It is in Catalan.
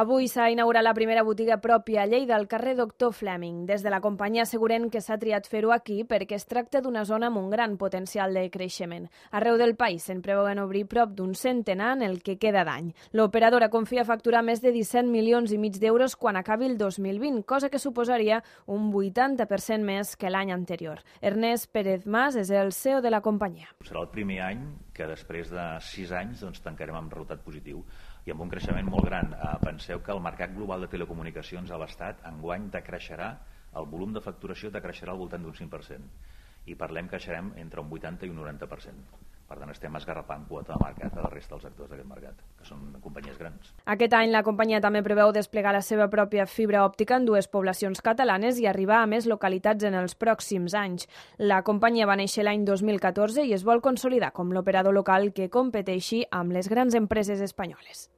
Avui s'ha inaugurat la primera botiga pròpia a Lleida, al carrer Doctor Fleming. Des de la companyia asseguren que s'ha triat fer-ho aquí perquè es tracta d'una zona amb un gran potencial de creixement. Arreu del país se'n preveuen obrir prop d'un centenar en el que queda d'any. L'operadora confia facturar més de 17 milions i mig d'euros quan acabi el 2020, cosa que suposaria un 80% més que l'any anterior. Ernest Pérez Mas és el CEO de la companyia. Serà el primer any que després de 6 anys tancarem amb resultat positiu i amb un creixement molt gran. Penseu que el mercat global de telecomunicacions a l'Estat enguany decreixerà, el volum de facturació decreixerà al voltant d'un 5% i parlem que creixerem entre un 80 i un 90%. Per tant, estem esgarrapant quota de mercat a la resta dels actors d'aquest mercat, que són companyies grans. Aquest any la companyia també preveu desplegar la seva pròpia fibra òptica en 2 poblacions catalanes i arribar a més localitats en els pròxims anys. La companyia va néixer l'any 2014 i es vol consolidar com l'operador local que competeixi amb les grans empreses espanyoles.